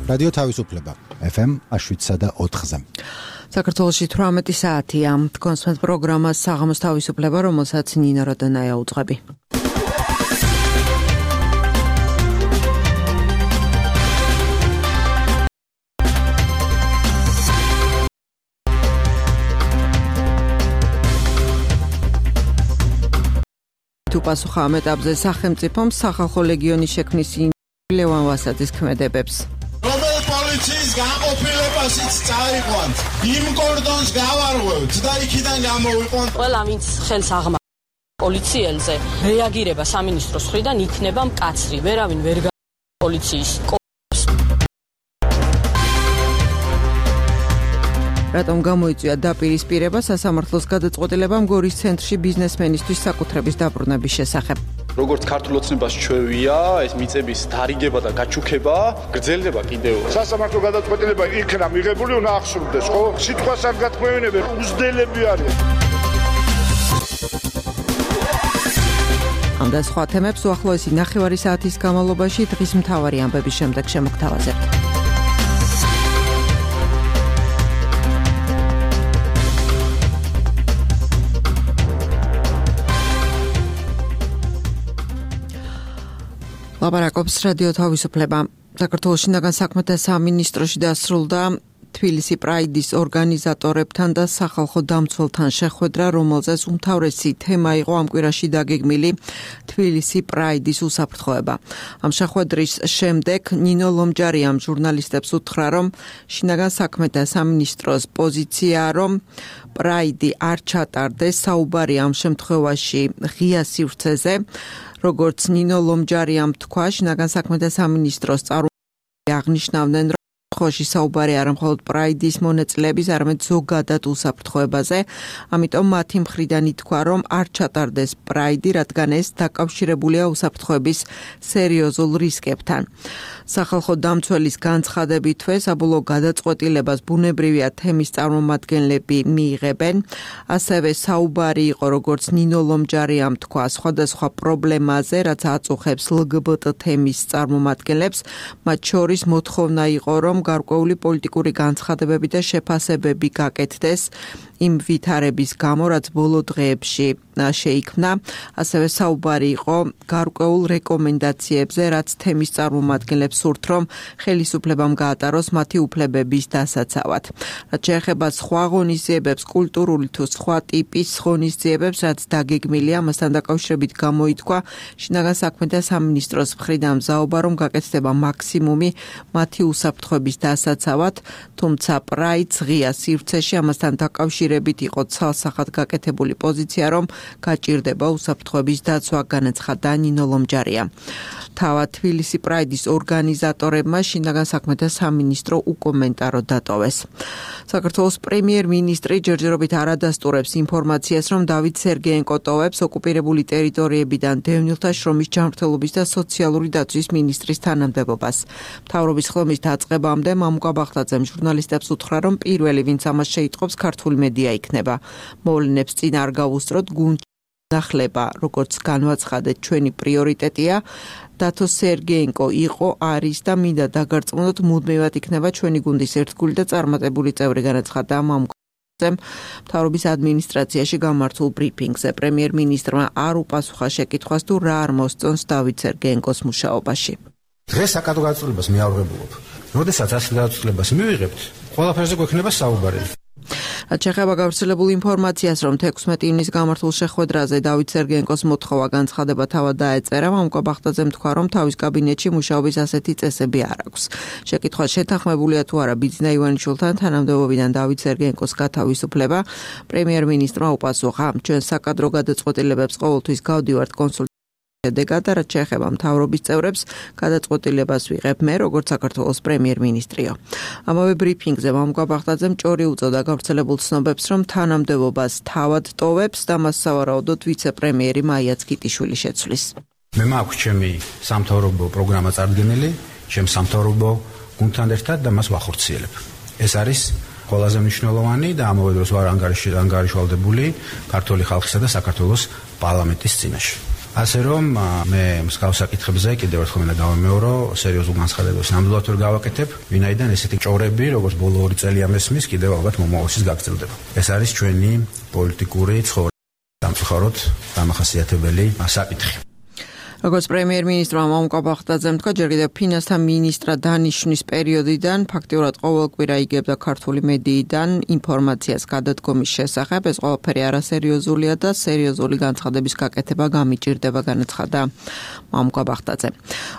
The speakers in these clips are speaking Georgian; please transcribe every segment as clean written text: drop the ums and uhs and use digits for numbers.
რადიო თავისუფლება FM 107.4-ზე. საქართველოში 18 საათია. კონსმეთ პროგრამას საღამოს თავისუფლება, რომელსაც ნინო როდონაია უძღვები. თუ პასუხა ამ ეტაპზე სახელმწიფომ სახალხო ლეგიონის შექმნის ლევან ვასაძის ქმედებებს. პოლიციის გაყოფილებასიც წაიყვანთ, იმ კორდონს გავარღვევთ და იქიდან გამოვიყვანთ. ყველა ვინც ხელს აღმა პოლიციელზე რეაგირება სამინისტროს მხრიდან იქნება მკაცრი, ვერავინ ვერ პოლიციის რატომ გამოიწვია დაპირისპირება სასამართლოს გადაწყვეტილებამ გორის ცენტრში ბიზნესმენისთვის საკუთრების დაბრუნების შესახებ. როგორც ქართულ ოცნებას ჩვევია, ეს მიწების დარიგება და გაჩუქება გრძელდება კიდევ. სასამართლო გადაწყვეტილება იქნა მიღებული, უნდა ახსოვდეს, ხო? სიტყვას არ გათქმევინებენ, უზდელები არიან. ამ და სხვა თემებს უახლოესი ნახევარი საათის განმავლობაში დღის მთავარი ამბების შემდეგ შემოგთავაზებთ. ლაპარაკობს რადიო თავისუფლება. საქართველოს შინაგან საქმეთა სამინისტროში დასრულდა თბილისი პრაიდის ორგანიზატორებთან და სახალხო დამცველთან შეხვედრა, რომელზეც უმთავრესი თემა იყო ამ კვირაში დაგეგმილი თბილისი პრაიდის უსაფრთხოება. ამ შეხვედრის შემდეგ ნინო ლომჯარიამ ჟურნალისტებს უთხრა, რომ შინაგან საქმეთა სამინისტროს პოზიციაა, რომ პრაიდი არ ჩატარდეს, საუბარი ამ შემთხვევაში ღია სივრცეზე. როგორც ნინო ლომჯარიამ თქვა, შინაგან საქმეთა სამინისტროს წარმომადგენლები აღნიშნავდნენ, რომ ხოში საუბარი არა მხოლოდ პრაიდის მონაწილეების, არამედ ზოგადად უსაფრთხოებაზე. ამიტომ მათი მხრიდან ითქვა, რომ არ ჩატარდეს პრაიდი, რადგან ეს დაკავშირებულია უსაფრთხოების სერიოზულ რისკებთან. სახალხო დამცველის განცხადებითვე საბოლოო გადაწყვეტილებას ბუნებრივია თემის წარმომადგენლები მიიღებენ. ასევე საუბარი იყო, როგორც ნინო ლომჯარიამ თქვა, სხვადასხვა პრობლემაზე, რაც აწუხებს LGBT თემის წარმომადგენლებს. მათ შორის მოთხოვნა იყო, რომ გარკვეული პოლიტიკური განცხადებები და შეფასებები გაკეთდეს იმ ვითარების გამო, რაც ბოლო დღეებში შეიქმნა. ასევე საუბარი იყო გარკვეულ რეკომენდაციებზე, რაც თემის წარმომადგენლებს სურთ, რომ ხელისუფლებამ გაატაროს მათი უფლებების დასაცავად. რაც შეეხება სხვა ღონისძიებებს, კულტურული თუ სხვა ტიპის ღონისძიებებს, რაც დაგეგმილია, ამასთან დაკავშირებით გამოითქვა შინაგან საქმეთა სამინისტროს მხრიდან მზაობა, რომ გაკეთდება მაქსიმუმი მათი უსაფრთხოების დასაცავად, თუმცა პრაიდს ღია სივრცეში ამასთან დაკავშირებით იყო ცალსახად გაკეთებული პოზიცია, რომ გაჭირდება უსაფრთხოების დაცვა, განაცხადა ნინო ლომჯარია. თავად თბილისი პრაიდის ორგანიზატორებმა შინაგან საქმეთა სამინისტრო უკომენტარო დატოვეს. საქართველოს პრემიერ-მინისტრი ჯერჯერობით არ ადასტურებს ინფორმაციას, რომ დავით სერგეენკო ტოვებს ოკუპირებული ტერიტორიებიდან დევნილთა შრომის ჯანმრთელობის და სოციალური დაცვის მინისტრის თანამდებობას. მთავრობის ხლომის დაწყებამდე მამუკა ბახტაძემ ჟურნალისტებს უთხრა, რომ პირველი, ვინც ამას შეიტყობს, ქართული მედია იქნება. მოვლენებს წინ არ გავუსწროთ, გუნდში ნახლება, როგორც განვაცხადეთ, ჩვენი პრიორიტეტია. დათო სერგეენკო იყო, არის და მინდა დაგარწმუნოთ, მუდმივად იქნება ჩვენი გუნდის ერთგული და წარმატებული წევრი, განაცხადა მამუკა ბახტაძემ მთავრობის ადმინისტრაციაში გამართულ ბრიფინგზე. პრემიერ-მინისტრმა არ უპასუხა შეკითხვას, თუ რა არ მოსწონს დავით სერგეენკოს მუშაობაში. დღეს საკადრო გადაწყვეტილებას მიაღებულობ. როდესაც ასე გადაწყვეტილებას მივიღებთ, ყველაფერზე გვექნება საუბარი. რაც შეეხება გავრცელებულ ინფორმაციას, რომ 16 ივნისს გამართულ შეხვედრაზე დავით სერგეენკოს მოთხოვა განცხადება თავად დაეწერა, მამუკა ბახტაძემ თქვა, რომ თავის კაბინეტში მუშაობის ასეთი წესები არ აქვს. შეკითხვა შეთანხმებულია თუ არა ბიძინა ივანიშვილთან თანამდებობიდან დავით სერგეენკოს გათავისუფლება. პრემიერ-მინისტრმა უპასუხა, ჩვენ საკადრო გადაწყვეტილებებს ყოველთვის გავდივართ კონსულტაციებში. შედეგად, რაც შეეხება მთავრობის წევრებს, გადაწყვეტილებას ვიღებ მე, როგორც საქართველოს პრემიერ-მინისტრიო. ამავე ბრიფინგზე მამუკა ბახტაძემ ჭორი უწოდა გავრცელებულ ცნობებს, რომ თანამდებობას თავად ტოვებს და მას სავარაუდოდ ვიცე-პრემიერი მაია ცქიტიშვილი შეცვლის. მე მაქვს ჩემი სამთავრობო პროგრამა წარდგენილი, ჩემ სამთავრობო გუნდთან ერთად და მას ვახორციელებ. ეს არის ყველაზე მნიშვნელოვანი და ამავე დროს ვარ ანგარიშვალდებული ქართული ხალხისა და საქართველოს პარლამენტის წინაშე. ასე რომ მე მსგავს საკითხებზე კიდევ ერთხელ მინდა გავამეორო, სერიოზულ განცხადებას ნამდვილად ვერ გავაკეთებ, ვინაიდან ესეთი ჭორები, როგორც ბოლო 2 წელია მესმის, კიდევ ალბათ მომავალშიც გაგრძელდება. ეს არის ჩვენი პოლიტიკური ცხოვრების სამწუხაროდ დამახასიათებელი საკითხი. როგორც პრემიერ-მინისტრმა მამუკა ბახტაძემ თქვა, ჯერ კიდევ ფინანსთა მინისტრად დანიშვნის პერიოდიდან ფაქტიურად ყოველ კვირა იგებდა ქართული მედიიდან ინფორმაციას გადადგომის შესახებ. ეს ყველაფერი არასერიოზულია და სერიოზული განცხადების გაკეთება გამიჭირდება, განაცხადა მამუკა ბახტაძე.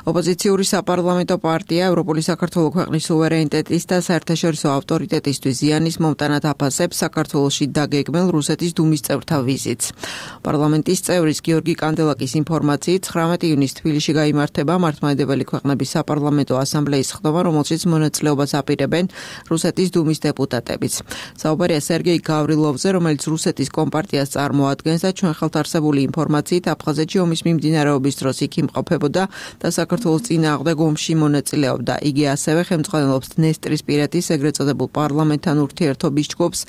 ოპოზიციური საპარლამენტო პარტია ევროპული საქართველოს ქვეყნის სუვერენიტეტის და საერთაშორისო ავტორიტეტისთვის ზიანის მომტანად აფასებს საქართველოში დაგეგმილ რუსეთის დუმის წევრთა ვიზიტს. პარლამენტის წევრის გიორგი კანდელაკის ინფორმაციით 19 ივნისს თბილისში გაიმართება მართლმადიდებელი ქვეყნების საპარლამენტო ასამბლეის ხდომა, რომელშიც მონაწილეობას აპირებენ რუსეთის დუმის დეპუტატებიც. საუბარია სერგეი გავრილოვზე, რომელიც რუსეთის კომპარტიას წარმოადგენს და ჩვენ ხელთ არსებული ინფორმაციით აფხაზეთში ომის მიმდინარეობის დროს იქ იმყოფებოდა და საქართველოს წინააღმდეგ ომში მონაწილეობდა. იგი ასევე ხელმძღვანელობს დნესტრისპირეთის ეგრეთ წოდებულ პარლამენტთან ურთიერთობის ჯგუფს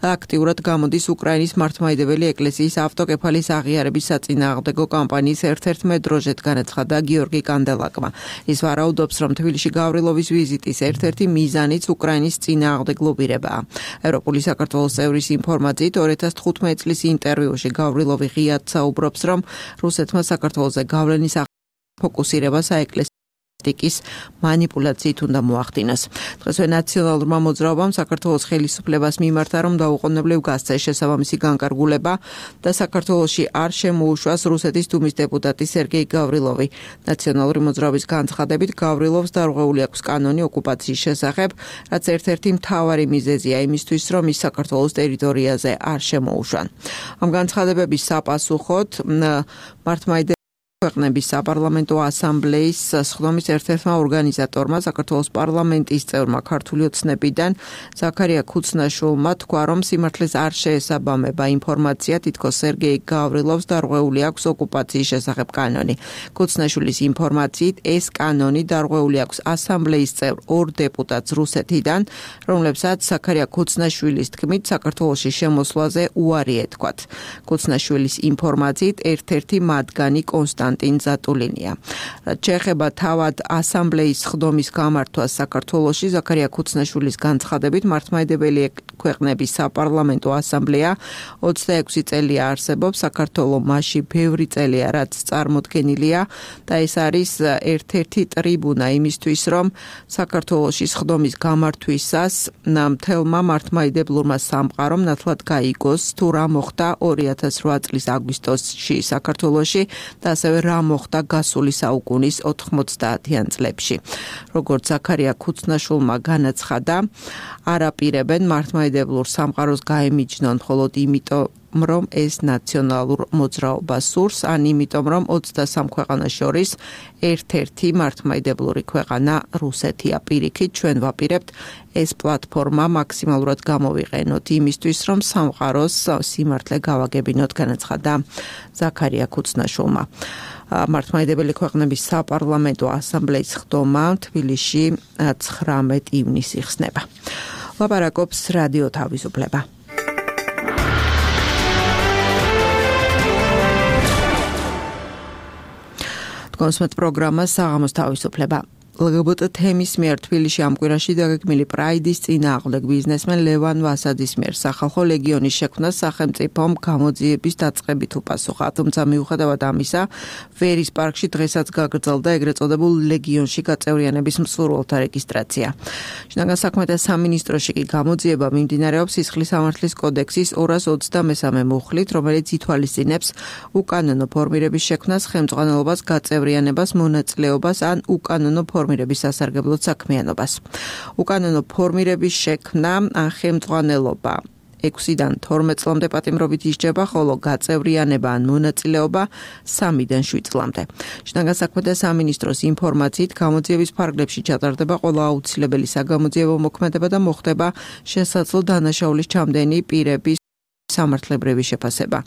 და აქტიურად გამოდის უკრაინის მართლმადიდებელი ეკლესიის ავტოკეფალის აღიარების საწინააღმდეგო კამპანიის ერთ-ერთ დროჟეთ, განაცხადა გიორგი კანდელაკმა. ის ვარაუდობს, რომ თბილისში გავრილოვის ვიზიტის ერთ-ერთი მიზანიც უკრაინის წინააღმდეგ ლობირებაა. ევროპული საქართველოს წევრის ინფორმაციით 2015 წლის ინტერვიუში გავრილოვი ღიად საუბრობს, რომ რუსეთმა საქართველოზე გავლენის ფოკუსირება საეკლესიო მანიპულაციით უნდა მოახდინოს. დღესვე ნაციონალურმა მოძრაობამ საქართველოს ხელისუფლებას მიმართა, რომ დაუყოვნებლივ გასცეს შესაბამისი განკარგულება და საქართველოში არ შემოუშვას რუსეთის დუმის დეპუტატი სერგეი გავრილოვი. ნაციონალური მოძრაობის განცხადებით გავრილოვს დარღვეული აქვს კანონი ოკუპაციის შესახებ, რაც ერთ-ერთი მთავარი მიზეზია იმისთვის, რომ ის საქართველოს ტერიტორიაზე არ შემოუშვან. ამ განცხადებების საპასუხოდ მართლმადიდებელი ქვეყნების საპარლამენტო ასამბლეის სხდომის ერთ-ერთმა ორგანიზატორმა, საქართველოს პარლამენტის წევრმა ქართული ოცნებიდან ზაქარია ქუცნაშვილმა თქვა, რომ სიმართლეს არ შეესაბამება ინფორმაცია, თითქოს სერგეი გავრილოვს დარღვეული აქვს ოკუპაციის შესახებ კანონი. ქუცნაშვილის ინფორმაციით ეს კანონი დარღვეული აქვს ასამბლეის წევრ 2 დეპუტატს რუსეთიდან, რომლებსაც ზაქარია ქუცნაშვილის თქმით საქართველოში შემოსვლაზე უარი ეთქვათ. ქუცნაშვილის ინფორმაციით ერთ-ერთი მათგანი კონსტანტინ ზატულინია. რაც შეეხება თავად ასამბლეის ხდომის გამართვას საქართველოში, ზაქარია ქუცნაშვილის განცხადებით მართლმადიდებელი ქვეყნების საპარლამენტო ასამბლეა 26 წელია არსებობს, საქართველო მასში ბევრი წელია, რაც წარმოდგენილია და ეს არის ერთ-ერთი ტრიბუნა იმისთვის, რომ საქართველოში ხდომის გამართვისას მთელმა მართლმადიდებლურმა სამყარომ ნათლად გაიგოს თუ რა მოხდა 2008 წლის აგვისტოში საქართველოში და ასევე რა მოხდა გასული საუკუნის 90-იან წლებში. როგორც ზაქარია ქუცნაშვილმა განაცხადა, არ აპირებენ მართლმადიდებლურ სამყაროს გაემიჯნონ მხოლოდ იმიტომ, რომ ეს ნაციონალურ მოძრაობას სურს, ან იმიტომ, რომ 23 ქვეყანას შორის ერთ-ერთი მართლმადიდებლური ქვეყანა რუსეთია. პირიქით, ჩვენ ვაპირებთ ეს პლატფორმა მაქსიმალურად გამოვიყენოთ იმისთვის, რომ სამყაროს სიმართლე გავაგებინოთ, განაცხადა ზაქარია ქუცნაშვილმა. მართლმადიდებელი ქვეყნების საპარლამენტო ასამბლეის ხდომა თბილისში 19 ივნისს იხსნება. ლაპარაკობს რადიო თავისუფლება. კონსმეთ პროგრამა საღამოს თავისუფლება. LGBT თემის მიერ თბილისში ამ კვირაში დაგეგმილი პრაიდის წინააღმდეგ ბიზნესმენ ლევან ვასაძის მიერ სახალხო ლეგიონის შექმნას სახელმწიფომ გამოძიების დაწყებით უპასუხა. თუმცა მიუხედავად ამისა, ვერის პარკში დღესაც გაგრძელდა ეგრეთ წოდებულ ლეგიონში გაწევრიანების მსურველთა რეგისტრაცია. შინაგან საქმეთა სამინისტროში კი გამოძიება მიმდინარეობს სისხლის სამართლის კოდექსის 223 მუხლით, რომელიც ითვალისწინებს უკანონო ფორმირების შექმნას, ხელმძღვანელობას, გაწევრიანებას, მონაწილეობას ან უკანონო ფორმირების სასარგებლოდ საქმიანობას. უკანონო ფორმირების შექმნა ან ხელმძღვანელობა 6-დან 12 წლამდე პატიმრობით ისჯება, ხოლო გაწევრიანება ან მონაწილეობა 3-დან 7 წლამდე. შინაგან საქმეთა სამინისტროს ინფორმაციით გამოძიების ფარგლებში ჩატარდება ყველა აუცილებელი საგამოძიებო მოქმედება და მოხდება შესაძლო დანაშაულის ჩამდენი პირების სამართლებრივი შეფასება.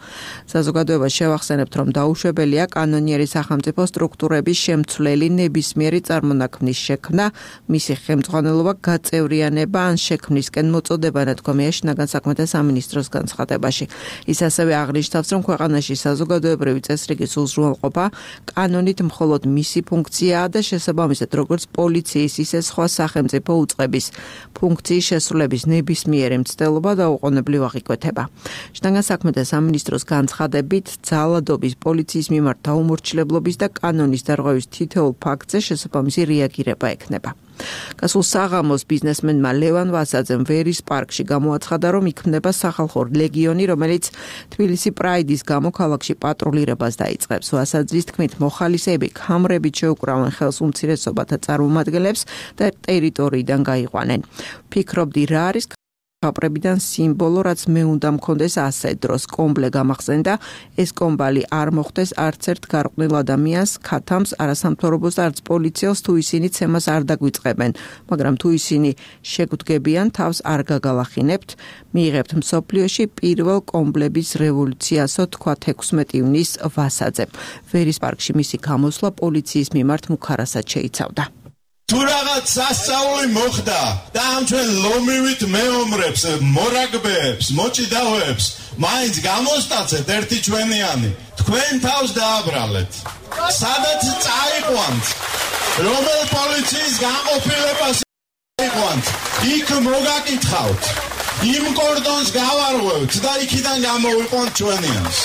საზოგადოებას შევახსენებთ, რომ დაუშვებელია კანონიერი სახელმწიფო სტრუქტურების შემცვლელი ნებისმიერი წარმონაქმნის შექმნა, მისი ხელმძღვანელობა, გაწევრიანება ან შექმნისკენ მოწოდება ნათქვამია შინაგან საქმეთა სამინისტროს განცხადებაში. ის ასევე აღნიშნავს, რომ ქვეყანაში საზოგადოებრივი წესრიგის უზრუნველყოფა კანონით მხოლოდ მისი ფუნქციაა და შესაბამისად როგორც პოლიციის, ისე სხვა სახელმწიფო უწყების ფუნქციის შესრულების ნებისმიერი მცდელობა დაუყოვნებლივ აღიკვეთება. შინაგან საქმეთა სამინისტროს განცხადებით, ძალადობის, პოლიციის მიმართ დაუმორჩილებლობის და კანონის დარღვევის თითოეულ ფაქტზე შესაბამისი რეაგირება ექნება. გასულ საღამოს ბიზნესმენმა ლევან ვასაძემ ვერის პარკში გამოაცხადა, რომ იქმნება სახალხო ლეგიონი, რომელიც თბილისი პრაიდის გამო ქალაქში პატრულირებას დაიწყებს. ვასაძის თქმით, მოხალისეები ქამრებით შეუკრავენ ხელს უმცირესობათა წარმომადგენლებს და ტერიტორიიდან გაიყვანენ. ფიქრობდი, რა არის ქაპრებიდან სიმბოლო, რაც მე უნდა მქონდეს ასე დროს. კომბლე გამახსენდა, ეს კომბალი არ მოხდეს არც ერთ გარყვნილ ადამიანს, ქათამს, არასამთავრობოს არც პოლიციელს, თუ ისინი ცემას არ დაგვიწყებენ, მაგრამ თუ ისინი შეგვდგებიან, თავს არ გაგალახინებთ. მიიღებთ მსოფლიოში პირველ კომბლების რევოლუციასო, თქვა 16 ივნის ვასაძე. ვერის პარკში მისი გამოსვლა პოლიციის მიმართ მუქარასად შეიცავდა. თუ რაღაც სასწაული მოხდა და ამ ჩვენ ლომივით მეომრებს, მორაგბეებს, მოჭიდავეებს მაინც გამოსტაცეთ ერთი ჩვენიანი, თქვენ თავს დააბრალეთ. სადაც წაიყვანთ, რომელ პოლიციის განყოფილებას წაიყვანთ, იქ მოგაკითხავთ, იმ კორდონს გავარღვევთ და იქიდან გამოვიყვანთ ჩვენიანს.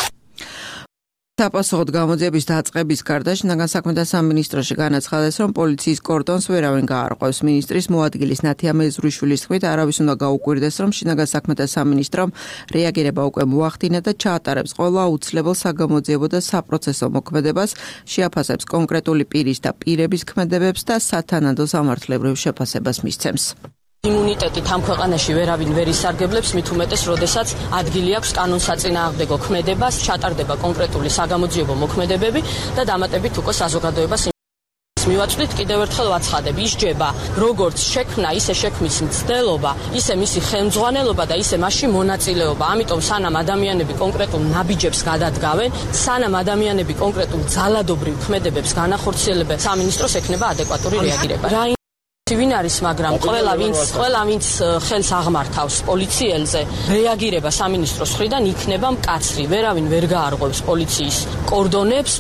საპასუხოდ გამოძიების დაწყების გარდა შინაგან საქმეთა სამინისტროში განაცხადეს, რომ პოლიციის კორდონს ვერავინ გაარღვევს. მინისტრის მოადგილის ნათია მეზრუშვილის თქმით, არავის უნდა გაუკვირდეს, რომ შინაგან საქმეთა სამინისტრომ რეაგირება უკვე მოახდინა და ჩაატარებს ყველა აუცილებელ საგამოძიებო და საპროცესო მოქმედებას, შეაფასებს კონკრეტული პირის და პირების ქმედებებს და სათანადო სამართლებრივ შეფასებას მისცემს. იმუნიტეტით ამ ქვეყანაში ვერავინ ვერ ისარგებლებს, მით უმეტეს, როდესაც ადგილი აქვს კანონსაწინააღმდეგო ქმედებას, ჩატარდება კონკრეტული საგამოძიებო მოქმედებები და დამატებით უკვე საზოგადოებას მივაწვდით, კიდევ ერთხელ ვაცხადებ, ისჯება როგორც შექმნა, ისე შექმნის მცდელობა, ისე მისი ხელმძღვანელობა და ისე მასში მონაწილეობა. ამიტომ სანამ ადამიანები კონკრეტულ ნაბიჯებს გადადგავენ, სანამ ადამიანები კონკრეტულ ძალადობრივ ქმედებებს განახორციელებენ, სამინისტროს ექნება ადეკვატური რეაგირება. ვინ არის, მაგრამ ყველა ვინც ხელს აღმართავს პოლიციელზე, რეაგირება სამინისტროს მხრიდან იქნება მკაცრი. ვერავინ ვერ გაარღვევს პოლიციის კორდონებს.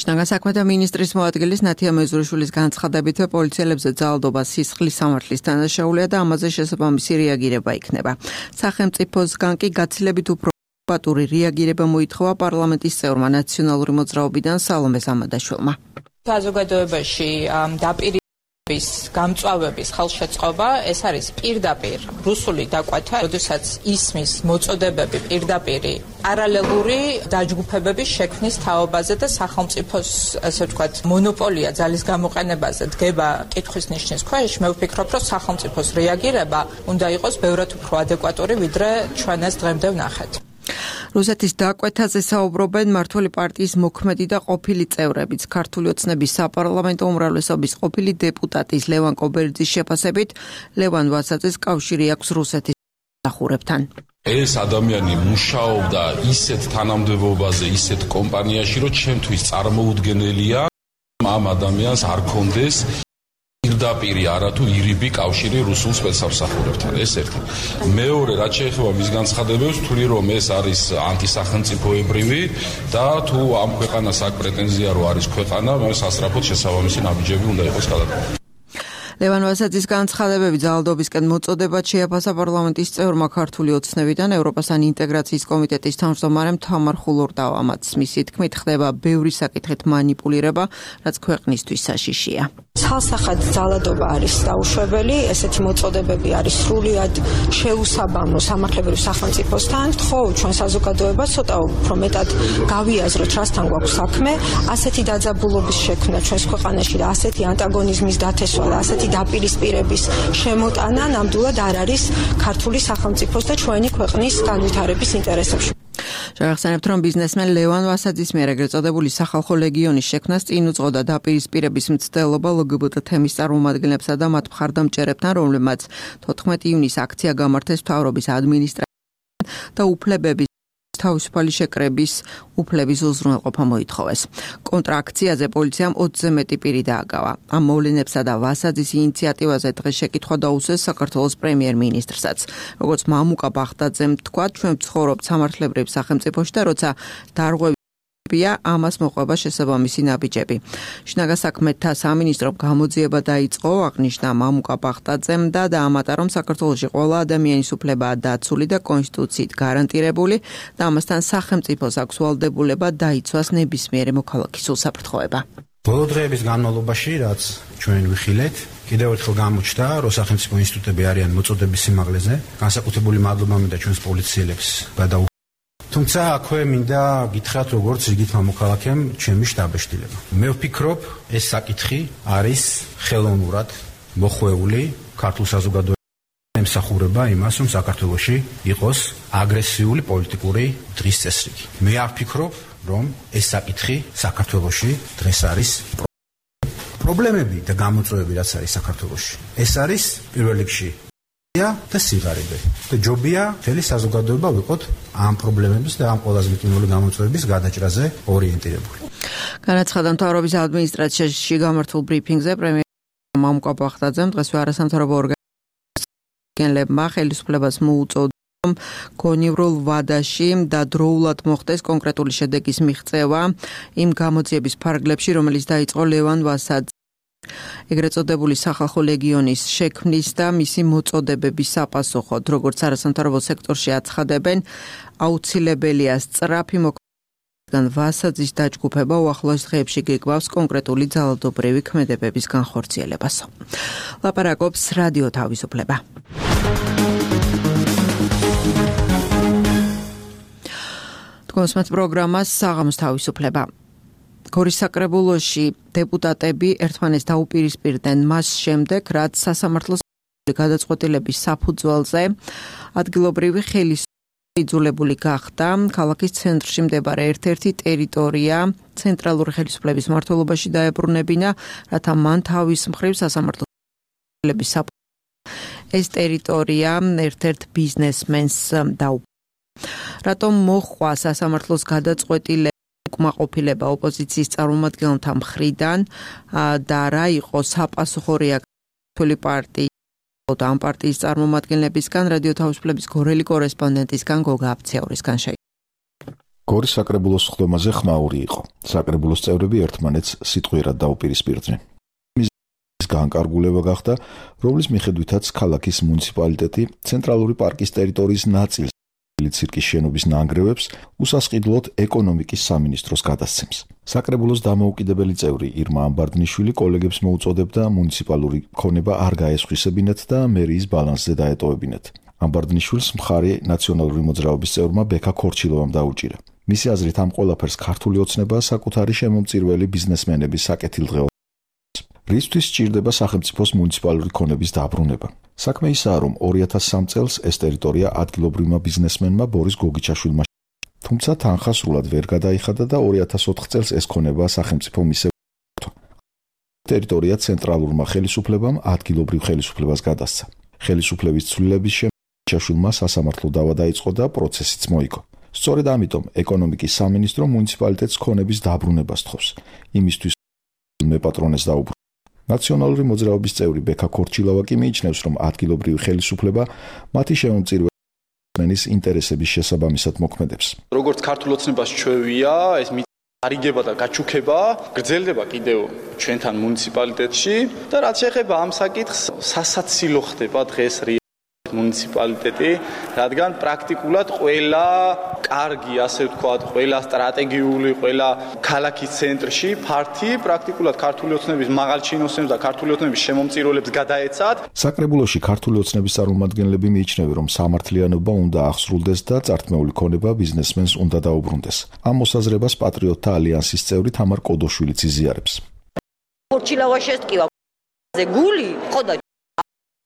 შინაგან საქმეთა მინისტრის მოადგილის ნათია მეზრუშვილის განცხადებით, პოლიციელებზე ძალადობა სისხლის სამართლის დანაშაულია და ამაზე შესაბამისი რეაგირება იქნება. სახელმწიფოსგან კი გაცილებით უფრო პატური რეაგირება მოითხოვა პარლამენტის წევრმა ნაციონალური მოძრაობიდან სალომე სამადაშვილმა. საზოგადოებაში გამწვავების ხელშეწყობა, ეს არის პირდაპირ რუსული დაკვათა, როდესაც ისმის მოწოდებები პირდაპირი პარალელური დაჯგუფებების შექმნის თაობაზე და სახელმწიფოს, ასე ვთქვათ, მონოპოლია ძალის გამოყენებაზე დგება კითხვის ნიშნის ქვეშ. მე ვფიქრობ, რომ სახელმწიფოს რეაგირება უნდა იყოს ბევრად უფრო ადეკვატური, ვიდრე ჩვენ ეს დღემდე ვნახეთ. რუსეთის დაკვეთაზე საუბრობენ მმართველი პარტიის მოქმედი და ყოფილი წევრებიც. ქართული ოცნების საპარლამენტო უმრავლესობის ყოფილი დეპუტატის ლევან კობერიძის შეფასებით, ლევან ვასაძეს კავშირი აქვს რუსეთის მსახურებთან. ეს ადამიანი მუშაობდა ისეთ თანამდებობაზე, ისეთ კომპანიაში, რომ ჩემთვის წარმოუდგენელია ამ ადამიანს არ კონდეს პირდაპირი არათუ ირიბი კავშირი რუსულ სპეცსამსახურებთან. ეს ერთი. მეორე, რაც შეეხება მის განცხადებებს, თვლი რომ ეს არის ანტისახელმწიფოებრივი და თუ ამ ქვეყანას აქვს პრეტენზია რომ არის ქვეყანა, მას სასწრაფოდ შესაბამისი ნაბიჯები უნდა იყოს გადადგმული. ლევან ვასაძის განცხადებები ძალადობისკენ მოწოდებად შეაფასა პარლამენტის წევრმა ქართული ოცნებიდან ევროპასთან ინტეგრაციის კომიტეტის თავმჯდომარემ თამარ ხულორდავამაც. მისი თქმით, ხდება ბევრი საკითხით მანიპულირება, რაც ქვეყნისთვის საშიშია. ცალსახად ძალადობა არის დაუშვებელი, ესეთი მოწოდებები არის სრულიად შეუსაბამო სამართლებრივ სახელმწიფოსთან. ხო, ჩვენ საზოგადოებას ცოტა უფრო მეტად გავიაზროთ, რასთან გვაქვს საქმე, ასეთი დაძაბულობის შექმნა ჩვენს ქვეყანაში და ასეთი ანტაგონიზმის დათესვა და ასეთი დაპირისპირების შემოტანა ნამდვილად არ არის ქართული სახელმწიფოს და ჩვენი ქვეყნის განვითარების ინტერესებში. შევახსენებთ, რომ ბიზნესმენ ლევან ვასაძის მიერ ეგრეთ წოდებული სახალხო ლეგიონის შექმნას წინ უძღოდა დაპირისპირების მცდელობა LGBT თემის წარმომადგენლებსა და მათ მხარდამჭერებთან, რომლებმაც 14 ივნის აქცია გამართეს მთავრობის ადმინისტრაციამ. და უფლებების თავისუფალი შეკრების უფლების უზრუნველყოფა მოითხოვეს. კონტრაქციაზე პოლიციამ 20-ზე მეტი პირი დააგავა. ამ მოვლენებსა და ვასაძის ინიციატივაზე დღეს შეკითხვა დაუსვეს საქართველოს პრემიერ-მინისტრსაც. როგორც მამუკა ბახტაძემ თქვა, ჩვენ ვცხოვრობთ სამართლებრივ სახელმწიფოში და როცა ამას მოყვება შესაბამისი ნაბიჯები. შინაგან საქმეთა სამინისტრომ გამოძიება დაიწყო, აღნიშნა მამუკა ბახტაძემ და დაამატა, რომ საქართველოში ყველა ადამიანის უფლებაა დაცული და კონსტიტუციით გარანტირებული და ამასთან სახელმწიფოს აქვს ვალდებულება დაიცვას ნებისმიერი მოქალაქის უსაფრთხოება. ბოლო დღეების განმავლობაში, რაც ჩვენ ვიხილეთ, კიდევ ერთხელ გამოჩნდა, რომ სახელმწიფო ინსტიტუტები არიან მოწოდების სიმაღლეზე, განსაკუთრებული მადლობა მინდა ჩვენს პოლიციელებს გადაუხადოთ. თუმცა აქვე მინდა გითხრათ, როგორც რიგითმა მოქალაქემ, ჩემი შტაბეშტილება. მე ვფიქრობ, ეს საკითხი არის ხელოვნურად მოხვეული ქართულ საზოგადოებაში ემსახურება იმას, რომ საქართველოში იყოს აგრესიული პოლიტიკური დღის წესრიგი. მე არ ვფიქრობ, რომ ეს საკითხი საქართველოში დღეს არის პრობლემები და გამოწვევები, რაც არის საქართველოში. ეს არის პირველ რიგში და სიღარიბე. და ჯობია მთელი საზოგადოება ვიყოთ ამ პრობლემების და ამ ყველაზე მტკივნეული გამოწვევების გადაჭრაზე ორიენტირებული. განაცხადა მთავრობის ადმინისტრაციაში გამართულ ბრიფინგზე პრემიერ მამუკა ბახტაძემ დღესვე არასამთავრობო ორგანიზაციებმა ხელისუფლებას მოუწოდა გონივრულ ვადაში და დროულად მოხდეს კონკრეტული შედეგის მიღწევა იმ გამოძიების ფარგლებში, რომელიც დაიწყო ლევან ვასაძე ეგრეთ წოდებული სახალხო ლეგიონის შექმნის და მისი მოწოდებების საპასუხოდ, როგორც არასამთავრობო სექტორში აცხადებენ, აუცილებელია სწრაფი მოქმედება ვასაძის დაჯგუფება უახლოეს დღეებში გიგვავს კონკრეტული ძალადობრივი ქმედებების განხორციელებასო. ლაპარაკობს რადიო თავისუფლება. თქვენს პროგრამას საღამოს თავისუფლება. გორის საკრებულოში დეპუტატები ერთმანეთს დაუპირისპირდნენ მას შემდეგ, რაც სასამართლოს გადაწყვეტილების საფუძველზე ადგილობრივი ხელისუფლება იძულებული გახდა ქალაქის ცენტრში მდებარე ერთ-ერთი ტერიტორია ცენტრალური ხელისუფლების მმართველობაში დაებრუნებინა, რათა მან თავის მხრივ სასამართლოს ეს ტერიტორია ერთ-ერთ ბიზნესმენს დაუპირისპირა. რატომ მოხდა სასამართლოს გადაწყვეტილება უკმაყოფილება ოპოზიციის წარმომადგენელთა მხრიდან და რა იყო საპასუხო რეაქცია პარტიის და ამ პარტიის წარმომადგენლებისგან რადიო თავისუფლების გორელი კორესპონდენტისგან გოგა აფცეურისგან შეიძლება. გორის საკრებულოს ხდომაზე ხმაური იყო. საკრებულოს წევრები ერთმანეთს სიტყვიერად დაუპირისპირდნენ. მის განკარგულება გახდა, რომლის მიხედვითაც ქალაქის მუნიციპალიტეტი ცენტრალური პარკის ტერიტორიის ნაწილს ცირკის შენობის ნანგრევებს უსასყიდლოდ ეკონომიკის სამინისტროს გადასცემს. საკრებულოს დამოუკიდებელი წევრი ირმა ამბარდნიშვილი კოლეგებს მოუწოდებდა მუნიციპალური ქონება არ გაესხვისებინათ და მერიის ბალანსზე დაეტოვებინათ. ამბარდნიშვილს მხარი ნაციონალური მოძრაობის წევრმა ბექა ქორჩილოვამ დაუჭირა. მისი აზრით ამ ყველაფერს ქართული ოცნება საკუთარი შემომწირველი ბიზნესმენების საკეთილდღეობა, რისთვის სჭირდება სახელმწიფოს მუნიციპალური ქონების დაბრუნება. საქმე ისაა, რომ 2003 წელს ეს ტერიტორია ადგილობრივმა ბიზნესმენმა ბორის გოგიჩაშვილმა, თუმცა თანხა სრულად ვერ გადაიხადა და 2004 წელს ეს ქონება სახელმწიფო მისევ ტერიტორია ცენტრალურმა ხელისუფლებამ ადგილობრივ ხელისუფლებას გადასცა. ხელისუფლების ცვლილების შემდეგ გოგიჩაშვილმა სასამართლო დავა დაიწყო და პროცესიც მოიგო. სწორედ ამიტომ ეკონომიკის სამინისტრო მუნიციპალიტეტს ქონების დაბრუნებას თხოვს. იმისთვის მეპატრონეს დაუბრუნდა. ნაციონალური მოძრაობის წევრი ბექა ქორჩილავა კი მიიჩნევს, რომ ადგილობრივი ხელისუფლება მათი შემომწირველის ინტერესების შესაბამისად მოქმედებს. როგორც ქართულ ოცნებას ჩვევია, ეს არიგება და გაჩუქება გრძელდება კიდევ ჩვენთან მუნიციპალიტეტში და რაც შეეხება ამ საკითხს, სასაცილო ხდება დღეს მუნიციპალიტეტი, რადგან პრაქტიკულად ყველა კარგი, ასე ვთქვათ, ყველა სტრატეგიული, ყველა ქალაქის ცენტრში ფართი პრაქტიკულად ქართული ოცნების მაღალ ჩინოსნებს და ქართული ოცნების შემომწირველებს გადაეცათ. საკრებულოში ქართული ოცნების წარმომადგენლები მიიჩნევენ, რომ სამართლიანობა უნდა აღსრულდეს და წართმეული ქონება ბიზნესმენს უნდა დაუბრუნდეს. ამ მოსაზრებას პატრიოტთა ალიანსის წევრი თამარ კოდოშვილიც იზიარებს. ხორჩილავა შესტკივა. გული, ხო და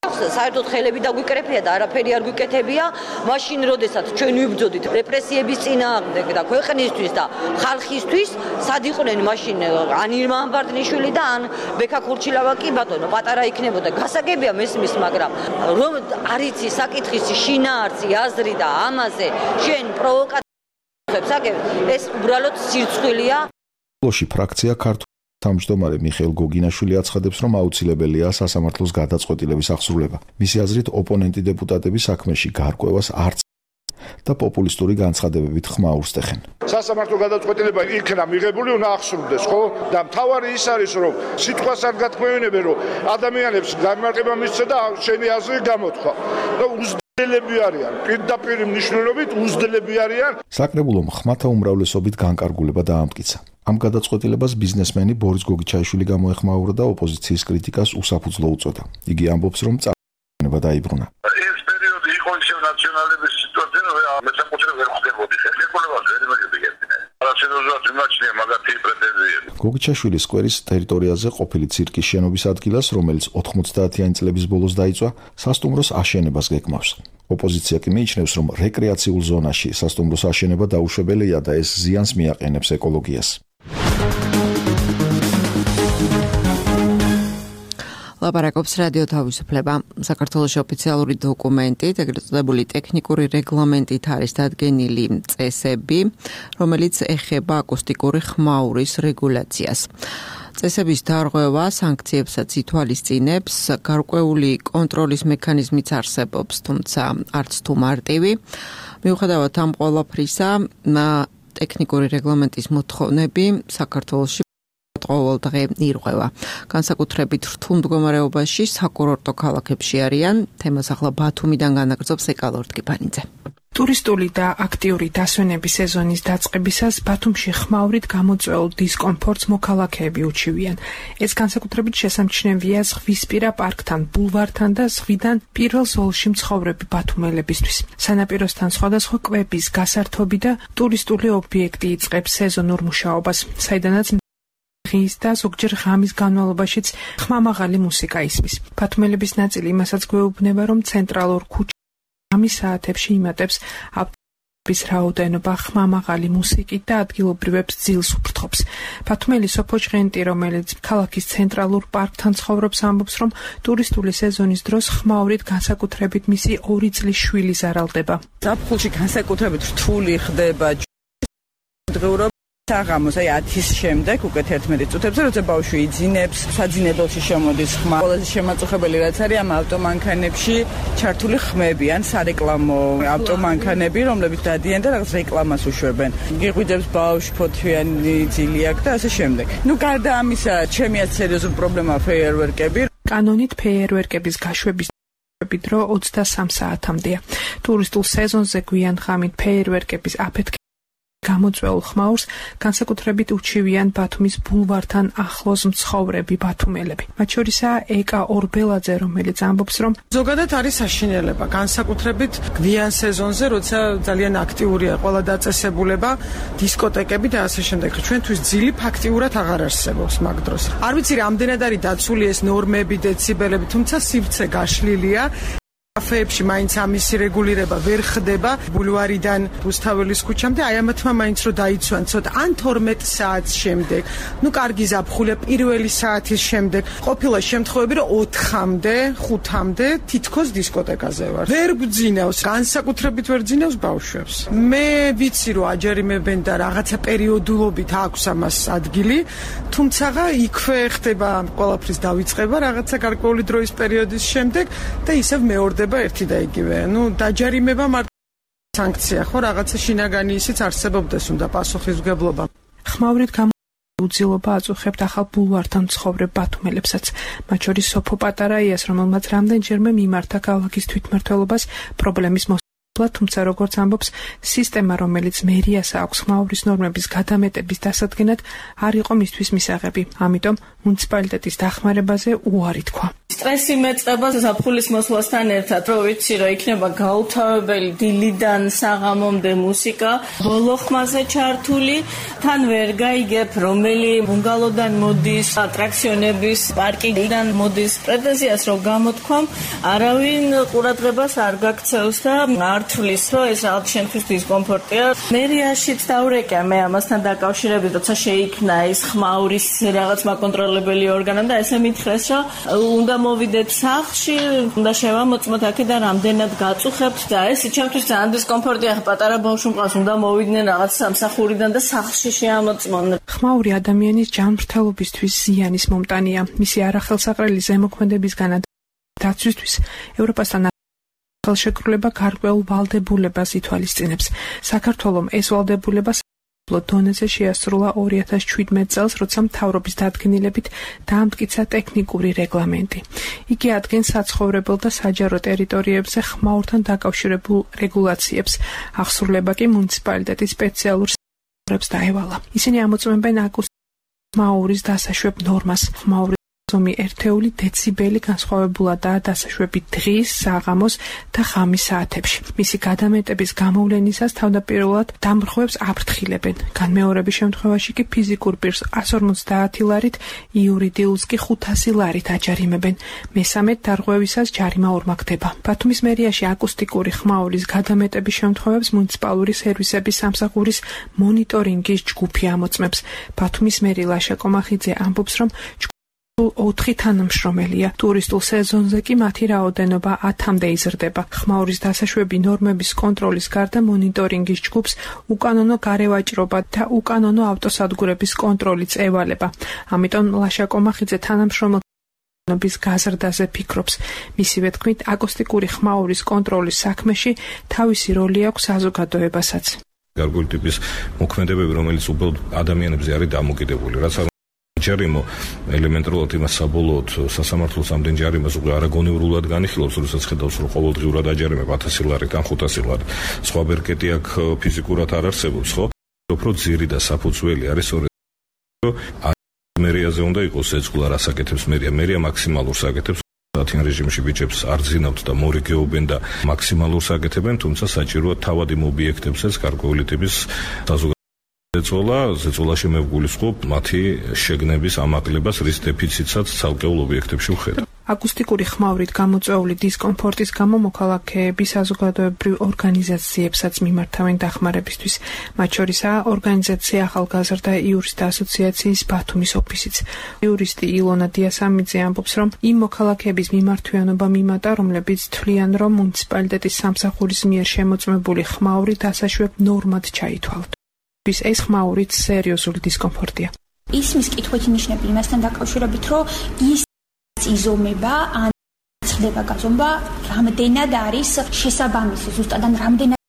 საერთოდ ხელები დაგვიკრეფია და არაფერი არ გვიკეთებია, მაშინ როდესაც ჩვენ ვიბრძოდით რეპრესიების წინააღმდეგ და ქვეყნისთვის და ხალხისთვის, სად იყვნენ მაშინ ან ირმა ამბარდნიშვილი და ან ბექა ქურჩილავა კი ბატონო, პატარა იქნებოდა. გასაგებია მესმის, მაგრამ რომ არ იცი საკითხის შინაარსი, აზრი და ამაზე შენ პროვოკაციებს აგებ, ეს უბრალოდ სირცხვილია. ლოში ფრაქცია ქართულ თავმჯდომარე მიხეილ გოგინაშვილი აცხადებს, რომ აუცილებელია სასამართლოს გადაწყვეტილების აღსრულება. მისი აზრით, ოპონენტი დეპუტატები საქმეში გარკვევას არც და პოპულისტური განცხადებებით ხმაურს ტეხენ. სასამართლო გადაწყვეტილება იქნა მიღებული, უნდა აღსრულდეს, ხო? და მთავარი ის არის, რომ სიტყვას არ გათქმევინებენ, რომ ადამიანებს გამარტება მისცე და შენი აზრი გამოთხვა. და უზრდელები არიან, პირდაპირ მნიშვნელობით უზრდელები არიან. საკრებულომ ხმათა უმრავლესობით განკარგულება დაამტკიცა. ამ გადაწყვეტილებას ბიზნესმენი ბორის გოგიჩაიშვილი გამოეხმაურა და ოპოზიციის კრიტიკას უსაფუძვლო უწოდა. იგი ამბობს, რომ წარუმატებლობა დაიბრუნა. ეს პერიოდი იყო ისევ ნაციონალების სიტუაცია, რომ მესაკუთრე ვერ ხდებოდი. ხელშეკრულებას ვერ მიგებდნენ. არასერიოზულად მიმაჩნია მაგათი პრეტენზიები. გოგიჩაშვილის სკვერის ტერიტორიაზე ყოფილი ცირკის შენობის ადგილას, რომელიც 90-იანი წლების ბოლოს დაიწვა, სასტუმროს აშენებას გეკმავს. ოპოზიცია კი მიიჩნევს, რომ რეკრეაციულ ზონაში სასტუმროს აშენება დაუშვებელია და ეს ზიანს მიაყენებს ეკოლოგიას. ლაპარაკობს რადიო თავისუფლება. საქართველოს ოფიციალური დოკუმენტით, ეგრეთ წოდებული ტექნიკური რეგლამენტით არის დადგენილი წესები, რომელიც ეხება აკუსტიკური ხმაურის რეგულაციას. წესების დარღვევა სანქციებსაც ითვალისწინებს, გარკვეული კონტროლის მექანიზმიც არსებობს, თუმცა არც თუ მარტივი. მიუხედავად ამ ყველაფრისა, ტექნიკური რეგლამენტის მოთხოვნები საქართველოში ყოველ დღე ირღვევა. განსაკუთრებით რთულ მდგომარეობაში საკურორტო ქალაქებში არიან. თემას ახლა ბათუმიდან განაგრძობს ეკალორ ტკიპანიძე. ტურისტული და აქტიური დასვენების სეზონის დაწყებისას ბათუმში ხმაურით გამოწვეულ დისკომფორტს მოქალაქეები უჩივიან. ეს განსაკუთრებით შესამჩნევია ზღვისპირა პარკთან, ბულვართან და ზღვიდან პირველ ზოლში მცხოვრები ბათუმელებისთვის. სანაპიროსთან სხვადასხვა კვების გასართობი და ტურისტული ობიექტი იწყებს სეზონურ მუშაობას, საიდანაც ღის და ზოგჯერ ღამის განმავლობაშიც ხმამაღალი მუსიკა ისმის. ბათუმელების ნაწილი იმასაც გვეუბნება, რომ ცენტრალურ ღამის საათებში იმატებს ავტობუსების რაოდენობა ხმამაღალი მუსიკით და ადგილობრივებს ძილს უფრთხობს. ბათუმელი სოფო ჭღენტი, რომელიც ქალაქის ცენტრალურ პარკთან ცხოვრობს, ამბობს, რომ ტურისტული სეზონის დროს ხმაურით განსაკუთრებით მისი 2 წლის შვილი ზარალდება. ზაფხულში განსაკუთრებით რთული ხდება დღეურობა. საღამოს, აი 10-ის შემდეგ უკვე 11 წუთებზე, როცა ბავშვი იძინებს, საძინებელში შემოდის ხმა. ყველაზე შემაწუხებელი რაც არის ამ ავტომანქანებში ჩართული ხმები, ან სარეკლამო ავტომანქანები, რომლებიც დადიან და რაღაც რეკლამას უშვებენ. გიყვიდებს ბავშვი, ფოთლიანი ძილი აქვს და ასე შემდეგ. ნუ გარდა ამისა, ჩემი აზრით სერიოზული პრობლემაა ფეიერვერკები. კანონით ფეიერვერკების გაშვების დრო 23 საათამდეა. ტურისტულ სეზონზე გვიან ღამით ფეიერვერკების აფეთქება გამოწვეულ ხმაურს განსაკუთრებით უჩივიან ბათუმის ბულვართან ახლოს მცხოვრები ბათუმელები. მათ შორისაა ეკა ორბელაძე, რომელიც ამბობს, რომ ზოგადად არის საშინელება, განსაკუთრებით გვიან სეზონზე, როცა ძალიან აქტიურია ყველა დაწესებულება, დისკოტეკები და ასე შემდეგ. ჩვენთვის ძილი ფაქტიურად აღარ არსებობს მაგ დროს. არ ვიცი რამდენად არის დაცული ეს ნორმები, დეციბელები, თუმცა სივრცე გაშლილია. კაფეებში მაინც ამისი რეგულირება ვერ ხდება ბულვარიდან რუსთაველის ქუჩამდე, აი ამათმა მაინც რომ დაიცვან ცოტა ან 12 საათის შემდეგ, ნუ კარგი ზაფხულია პირველი საათის შემდეგ, ყოფილა შემთხვევები რომ 4-მდე, 5-მდე თითქოს დისკოტეკაზე ვარ. ვერ გძინავს, განსაკუთრებით ვერ გძინავს ბავშვებს. მე ვიცი რომ აჯერიმებენ და რაღაცა პერიოდულობით აქვს ამას ადგილი, თუმცა იქვე ხდება ყველაფრის დავიწყება რაღაცა გარკვეული დროის პერიოდის შემდეგ და ისევ მეორე ერთი და იგივე. ნუ დაჯარიმება მარტო სანქცია ხო, რაღაცა შინაგანი ისიც არსებობდეს უნდა პასუხისმგებლობა. ხმაურით უძილობა აწუხებთ ახალ ბულვართან მცხოვრებ ბათუმელებსაც. მათ შორის სოფო პატარაიას, რომელმაც რამდენჯერმე მიმართა ქალაქის თვითმმართველობას პრობლემის თუმცა როგორც ამბობს სისტემა, რომელიც მერიას აქვს ხმაურის ნორმების გადამეტების დასადგენად, არ იყო მისთვის მისაღები. ამიტომ მუნიციპალიტეტის დახმარებაზე უარი თქვა. სტრესი მეწყება ზაფხულის მოსვლასთან ერთად, რომ ვიცი, რომ იქნება გაუთავებელი დილიდან საღამომდე მუსიკა, ბოლო ხმაზე ჩართული, თან ვერ გაიგებ, რომელი ბუნგალოდან მოდის, ატრაქციონების პარკიდან მოდის. პრეტენზიას რომ გამოთქვამ, არავინ ყურადღებას არ გაქცევს და არ თვლის, რომ ეს რაღაც შენთვის დისკომფორტია. მერიაშიც დავრეკე მე ამასთან დაკავშირებით, როცა შეიქმნა ეს ხმაურის რაღაც მაკონტროლებელი ორგანო და ესე მითხრეს, რომ უნდა მოვიდეთ სახლში, უნდა შევამოწმოთ აქედან რამდენად გაწუხებთ და ეს ჩემთვის ძალიან დისკომფორტია. პატარა ბავშვი მყავს, უნდა მოვიდნენ რაღაც სამსახურიდან და სახლში შეამოწმონ. ხმაური ადამიანის ჯანმრთელობისთვის ზიანის მომტანია. მისი არახელსაყრელი ზემოქმედებისგან დაცვისთვის ევროპასთან ხელშეკრულება გარკვეულ ვალდებულებას ითვალისწინებს. საქართველომ ეს ვალდებულება დონეზე შეასრულა 2017 წელს, როცა მთავრობის დადგენილებით დაამტკიცა ტექნიკური რეგლამენტი. იგი ადგენს საცხოვრებელ და საჯარო ტერიტორიებზე ხმაურთან დაკავშირებულ რეგულაციებს. აღსრულება კი მუნიციპალიტეტის სპეციალურ სექტორებს დაევალა. ისინი ამოწმებენ ხმაურის დასაშვებ ნორმას. ხმაურის ზომი ერთეული დეციბელი განსხვავებულადაა დასაშვები დღის, საღამოს და ღამის საათებში. მისი გადამეტების გამოვლენისას თავდაპირველად დამრღვევებს აფრთხილებენ. განმეორების შემთხვევაში კი ფიზიკურ პირს 150 ლარით, იურიდიულს კი 500 ლარით აჯარიმებენ. მესამედ დარღვევისას ჯარიმა ორმაგდება. ბათუმის მერიაში აკუსტიკური ხმაურის გადამეტების შემთხვევებს მუნიციპალური სერვისების სამსახურის მონიტორინგის ჯგუფი ამოწმებს. ბათუმის მერი ლაშა კომახიძე ამბობს, რომ 4 თანამშრომელია. ტურისტულ სეზონზე კი მათი რაოდენობა 10-მდე იზრდება. ხმაურის დასაშვები ნორმების კონტროლის გარდა მონიტორინგის ჯგუფს უკანონო გარევაჭრობა და უკანონო ავტოსადგურების კონტროლიც ევალება. ამიტომ ლაშა კომახიძე თანამშრომლობის გაზრდაზე ფიქრობს. მისივე თქმით, აკუსტიკური ხმაურის კონტროლის საქმეში თავისი როლი აქვს საზოგადოებასაც. გარკვეული ტიპის მოქმედებები, რომელიც უბრალოდ ადამიანებზე არის დამოკიდებული, რაც ჯარიმო ელემენტარულად იმას საბოლოოდ სასამართლოს ამდენ ჯარიმას უკვე არაგონივრულად განიხილავს, როდესაც ხედავს, რომ ყოველდღიურად აჯარიმებ 1000 ლარით ან 500 ლარით. სხვა ბერკეტი აქ ფიზიკურად არ არსებობს, ხო? უფრო ძირი და საფუძველი არის მერიაზე უნდა იყოს ეწყლა რას აკეთებს მერია. მერია მაქსიმალურს აკეთებს. დათიან რეჟიმში ბიჭებს არ ძინავთ და მორიგეობენ და მაქსიმალურს აკეთებენ, თუმცა საჭიროა თავად იმ ობიექტებსაც გარკვეული ტიპის ზეწოლა შემევგულისხმობ მათი შეგნების ამაღლებას, რის დეფიციტსაც ცალკეულ ობიექტებში ვხედავ. აკუსტიკური ხმაურით გამოწვეული დისკომფორტის გამო მოქალაქეები საზოგადოებრივ ორგანიზაციებსაც მიმართავენ დახმარებისთვის. მათ შორისაა ორგანიზაცია ახალგაზრდა იურისტთა ასოციაციის ბათუმის ოფისიც. იურისტი ილონა დიასამიძე ამბობს, რომ იმ მოქალაქეების მიმართვიანობა მიმატა, რომლებიც თვლიან, რომ მუნიციპალიტეტის სამსახურის მიერ შემოწმებული ხმაური დასაშვებ ნორმად ჩაითვალთ. ეს ხმაურით სერიოზული დისკომფორტია. ისმის კითხვით ნიშნები იმასთან დაკავშირებით, რომ ის იზომება ან ხდება გაზომვა, რამდენად არის შესაბამისი, ზუსტად ან რამდენად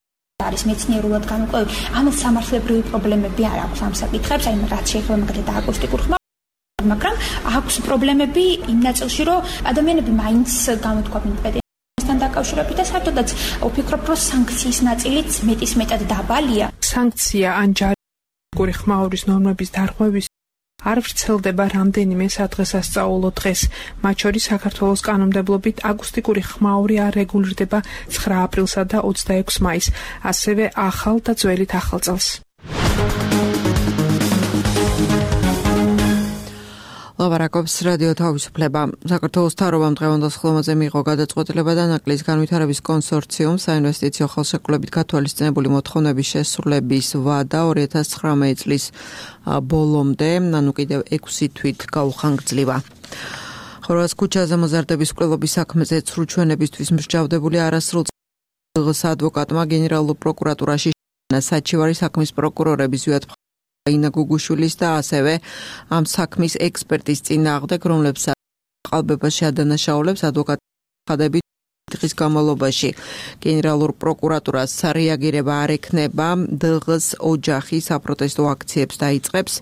არის მეცნიერულად განუყევი. ამას სამართლებრივი პრობლემები არ აქვს ამ საკითხებს, აი რაც შეეხება მაგალითად აკუსტიკურ ხმაურს, მაგრამ აქვს პრობლემები იმ ნაწილში, რომ ადამიანები მაინც გამოთქვამენ პედაგოგთან დაკავშირებით და საერთოდაც ვფიქრობ, რომ სანქციის ნაწილიც მეტისმეტად დაბალია. სანქცია ან ჯარიმის ხმაურის ნორმების დარღვევის არ ვრცელდება რამდენიმე სადღესასწაულო დღეს. მათ შორის საქართველოს კანონმდებლობით აკუსტიკური ხმაური არ რეგულირდება 9 აპრილსა და 26 მაისს, ასევე ახალ და ძველით ახალ წელს. ლაპარაკობს რადიო თავისუფლება. საქართველოს მთავრობამ დღევანდელ ხილვაზე მიიღო გადაწყვეტილება და ნაკლის განვითარების კონსორციუმ საინვესტიციო ხელშეკრულებით გათვალისწინებული მოთხოვნების შესრულების ვადა 2019 წლის ბოლომდე, ანუ კიდევ 6 თვით გაუხანგრძლივა. ხორვატს ქუჩაზე მოზარდების მკვლელობის საქმეზე ცრუჩვენებისთვის მსჯავრდებული არასრულ წელს ადვოკატმა გენერალურ პროკურატურაში საჩივარი საქმის პროკურორების ზვიად ინა გუგუშვილის და ასევე ამ საქმის ექსპერტის წინააღმდეგ, რომლებსაც ყალბებაში ადანაშაულებს ადვოკატები დღის განმავლობაში გენერალურ პროკურატურას რეაგირება არ ექნება, დღს ოჯახი საპროტესტო აქციებს დაიწყებს.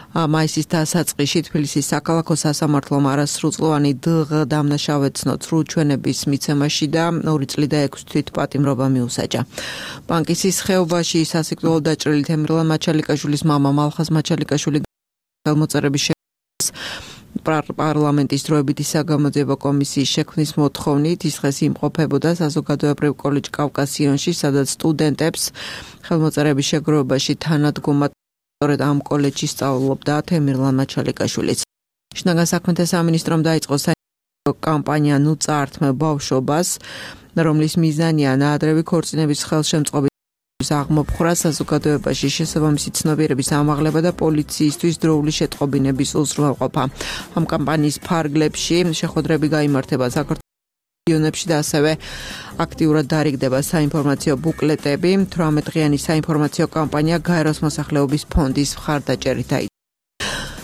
მაისის დასაწყისში თბილისის საქალაქო სასამართლომ არასრულწლოვანი დღ დამნაშავედ ცნო ჩვენების მიცემაში და 2 წლი და 6 თვით პატიმრობა მიუსაჯა. ბანკისის ხეობაში სასიკვდილო დაჭრილი თემირლან მაჩალიკაშვილის მამა მალხაზ მაჩალიკაშვილი ხელმოწერების პარლამენტის დროებითი საგამოძიებო კომისიის შექმნის მოთხოვნით ის დღეს იმყოფებოდა საზოგადოებრივ კოლეჯ კავკასიონში, სადაც სტუდენტებს ხელმოწერების შეგროვებაში თანადგომად სწორედ ამ კოლეჯში სწავლობდა თემირლან მაჩალიკაშვილიც. შინაგან საქმეთა სამინისტრომ დაიწყო კამპანია ნუ წაართმევ ბავშვობას, რომლის მიზანია ნაადრევი ქორწინების ხელშემწყობის აღმოფხვრა საზოგადოებაში შესაბამისი ცნობიერების ამაღლება და პოლიციისთვის დროული შეტყობინების უზრუნველყოფა. ამ კამპანიის ფარგლებში შეხვედრები გაიმართება საქართველოს რეგიონებში და ასევე აქტიურად დარიგდება საინფორმაციო ბუკლეტები. 18-დღიანი საინფორმაციო კამპანია გაეროს მოსახლეობის ფონდის მხარდაჭერით დაიწყო.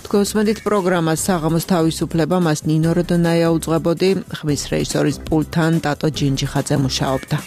თქვენს პროგრამას საღამოს თავისუფლება მას ნინო როდონაია უძღვებოდი, ხმის რეჟისორის პულტთან ტატო ჯინჯიხაძე მუშაობდა.